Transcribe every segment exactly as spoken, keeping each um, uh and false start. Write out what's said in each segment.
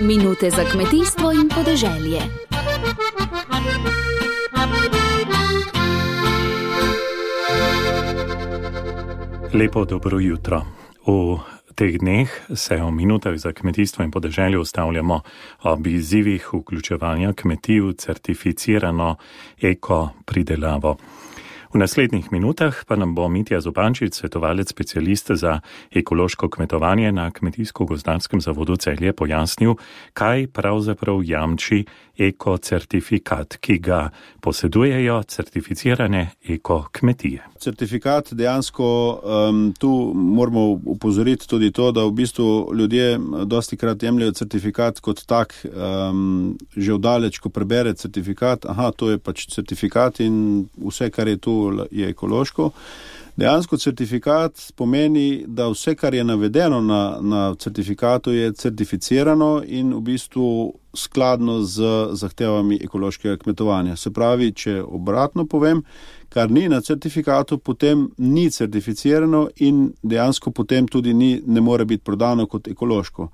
Minute za kmetijstvo in podeželje. Lepo dobro jutro. V teh dneh se o minutah za kmetijstvo in podeželje ustavljamo ob izzivih vključevanja kmetij v certificirano eko pridelavo. V naslednjih minutah pa nam bo Mitja Zupančič, svetovalec specialist za ekološko kmetovanje na Kmetijsko-gozdarskem zavodu Celje, pojasnil, kaj pravzaprav jamči ekocertifikat, ki ga posedujejo certificirane ekokmetije. Certifikat dejansko, um, tu moramo upozoriti tudi to, da v bistvu ljudje dostikrat jemljajo certifikat kot tak, um, že vdaleč, ko prebere certifikat, aha, to je pač certifikat in vse, kar je tu, je ekološko. Dejansko certifikat pomeni, da vse, kar je navedeno na, na certifikatu, je certificirano in v bistvu skladno z zahtevami ekološkega kmetovanja. Se pravi, če obratno povem, kar ni na certifikatu, potem ni certificirano in dejansko potem tudi ni, ne more biti prodano kot ekološko.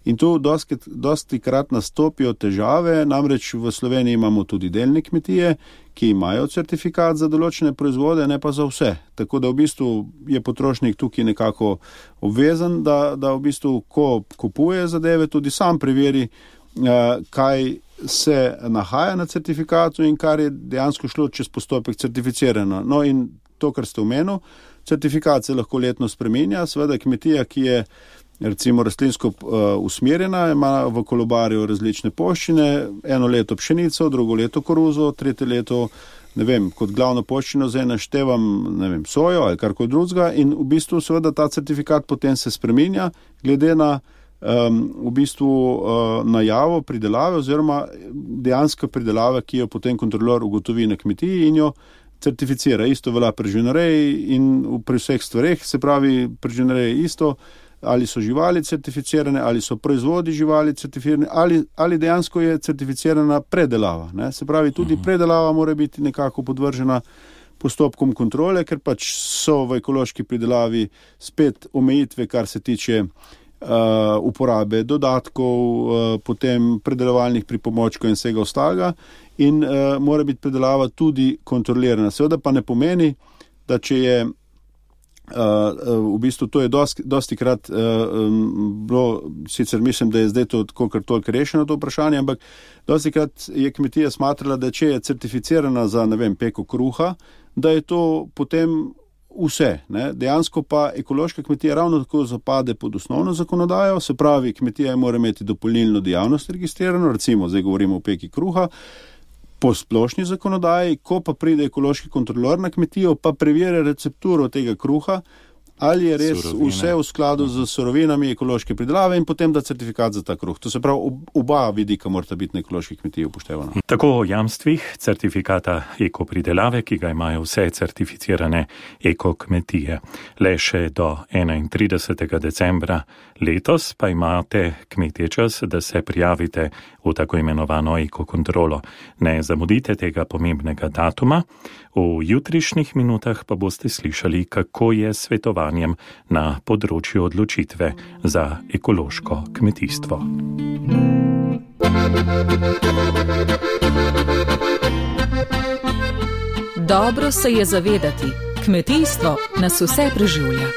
In tu dosti, dosti krat nastopijo težave, namreč v Sloveniji imamo tudi delne kmetije, ki imajo certifikat za določene proizvode, ne pa za vse. Tako da v bistvu je potrošnik tukaj nekako obvezen, da, da v bistvu, ko kupuje zadeve, tudi sam preveri, kaj se nahaja na certifikatu in kar je dejansko šlo čez postopek certificirano. No in to, kar ste omenil, certifikat se lahko letno spreminja, seveda kmetija, ki je recimo rastlinsko uh, usmerjena, ima v kolobarju različne poščine, eno leto pšenico, drugo leto koruzo, tretje leto, ne vem, kot glavno poščino zdaj naštevam, ne vem, sojo ali karkoli drugega in v bistvu seveda ta certifikat potem se spreminja glede na um, v bistvu uh, najavo pridelave oziroma dejansko pridelave, ki jo potem kontrolor ugotovi na kmetiji in jo certificira. Isto velja pri živinoreji in pri vseh stvareh, se pravi pri živinoreji isto, ali so živali certificirane, ali so proizvodi živali certificirane, ali, ali dejansko je certificirana predelava. Ne? Se pravi, tudi predelava mora biti nekako podvržena postopkom kontrole, ker pač so v ekološki pridelavi spet omejitve, kar se tiče uh, uporabe dodatkov, uh, potem predelovalnih pripomočkov in vsega ostalega in uh, mora biti predelava tudi kontrolirana. Seveda pa ne pomeni, da če je Uh, uh, v bistvu to je dosti, dosti krat uh, um, bilo, sicer mislim, da je zdaj to kolikor toliko rešeno to vprašanje, ampak dosti krat je kmetija smatrala, da če je certificirana za, ne vem, peko kruha, da je to potem vse. Ne? Dejansko pa ekološka kmetija ravno tako zapade pod osnovno zakonodajo, se pravi, kmetija mora imeti dopolnilno dejavnost registrirano, recimo zdaj govorimo o peki kruha, po splošni zakonodaji, ko pa pride ekološki kontrolor na kmetijo, pa preverja recepturo tega kruha, ali je res Surovine. Vse v skladu z surovinami ekološke pridelave in potem da certifikat za ta kruh. To se pravi, oba vidika morata biti na ekološki kmetiji upoštevana. Tako o jamstvih certifikata ekopridelave, ki ga imajo vse certificirane ekokmetije. Le še do enaintridesetega decembra letos pa imate kmetje čas, da se prijavite v tako imenovano ekokontrolo. Ne zamudite tega pomembnega datuma. V jutrišnjih minutah pa boste slišali, kako je svetovanjem na področju odločitve za ekološko kmetijstvo. Dobro se je zavedati, kmetijstvo nas vse preživlja.